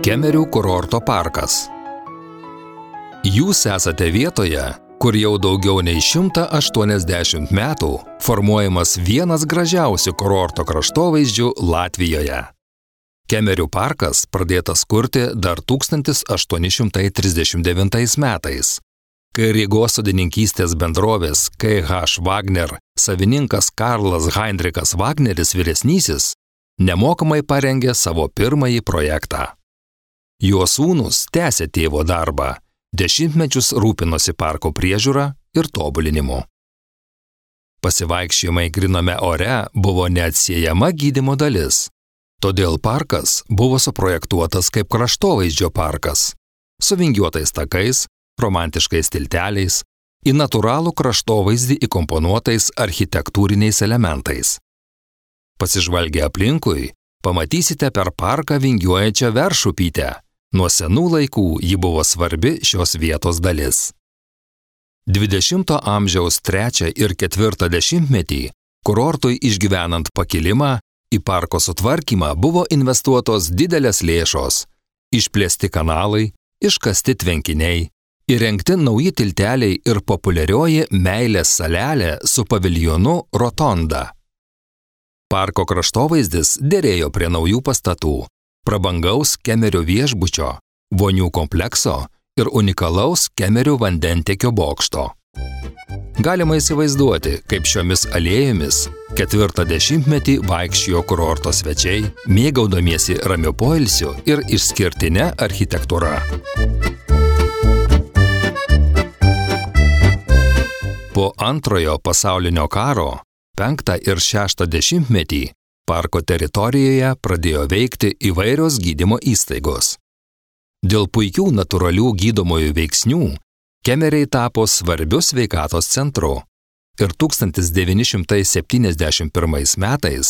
Kemerių kurorto parkas. Jūs esate vietoje, kur jau daugiau nei 180 metų formuojamas vienas gražiausių kurorto kraštovaizdžių Latvijoje. Kemerių parkas pradėtas kurti dar 1839 metais, kai Rygos sodininkystės bendrovės KH Wagner savininkas Karlas Heinrichas Wagneris vyresnysis nemokamai parengė savo pirmąjį projektą. Jo sūnūs tęsė tėvo darbą, dešimtmečius rūpinosi parko priežiūra ir tobulinimu. Pasivaikščiojimai gryname ore buvo neatsiejama gydymo dalis, todėl parkas buvo suprojektuotas kaip kraštovaizdžio parkas, su vingiuotais takais, romantiškais tilteliais, į natūralų kraštovaizdį įkomponuotais architektūriniais elementais. Pasižvalgę aplinkui, pamatysite per parką vingiuojančią Veršupytę. Nuo senų laikų ji buvo svarbi šios vietos dalis. 20 amžiaus 3 ir 4 dešimtmetį, kurortui išgyvenant pakilimą, į parko sutvarkymą buvo investuotos didelės lėšos, išplėsti kanalai, iškasti tvenkiniai, įrengti nauji tilteliai ir populiarioji meilės salelė su paviljonu Rotonda. Parko kraštovaizdis derėjo prie naujų pastatų, prabangaus Kemerio viešbučio, vonių komplekso ir unikalaus Kemerio vandentiekio bokšto. Galima įsivaizduoti, kaip šiomis alėjomis 4 dešimtmetį vaikščiojo kurorto svečiai, mėgaudamiesi ramiu poilsiu ir išskirtine architektūra. Po Antrojo pasaulinio karo 5 ir 6 dešimtmetį parko teritorijoje pradėjo veikti įvairios gydymo įstaigos. Dėl puikių natūralių gydomųjų veiksnių Kemeriai tapo svarbiu sveikatos centru ir 1971 metais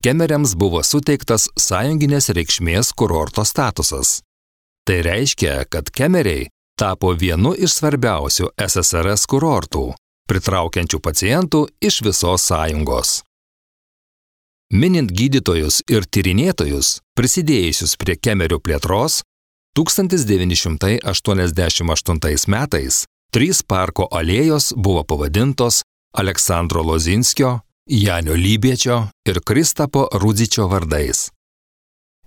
Kemeriams buvo suteiktas sąjunginės reikšmės kurorto statusas. Tai reiškia, kad Kemeriai tapo vienu iš svarbiausių SSRS kurortų, pritraukiančių pacientų iš visos sąjungos. Minint gydytojus ir tyrinėtojus, prisidėjusius prie Kemerių plėtros, 1988 metais 3 parko alėjos buvo pavadintos Aleksandro Lozinskio, Janio Lybiečio ir Kristapo Rudzičio vardais.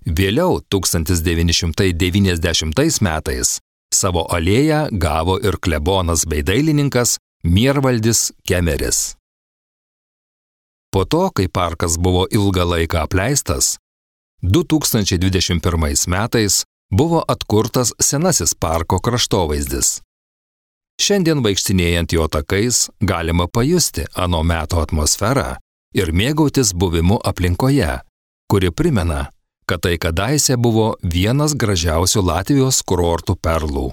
Vėliau 1990 metais savo alėją gavo ir klebonas bei dailininkas Miervaldis Kemeris. Po to, kai parkas buvo ilgą laiką apleistas, 2021 metais buvo atkurtas senasis parko kraštovaizdis. Šiandien vaikštinėjant jo takais galima pajusti ano meto atmosferą ir mėgautis buvimu aplinkoje, kuri primena, kad tai kadaise buvo vienas gražiausių Latvijos kurortų perlų.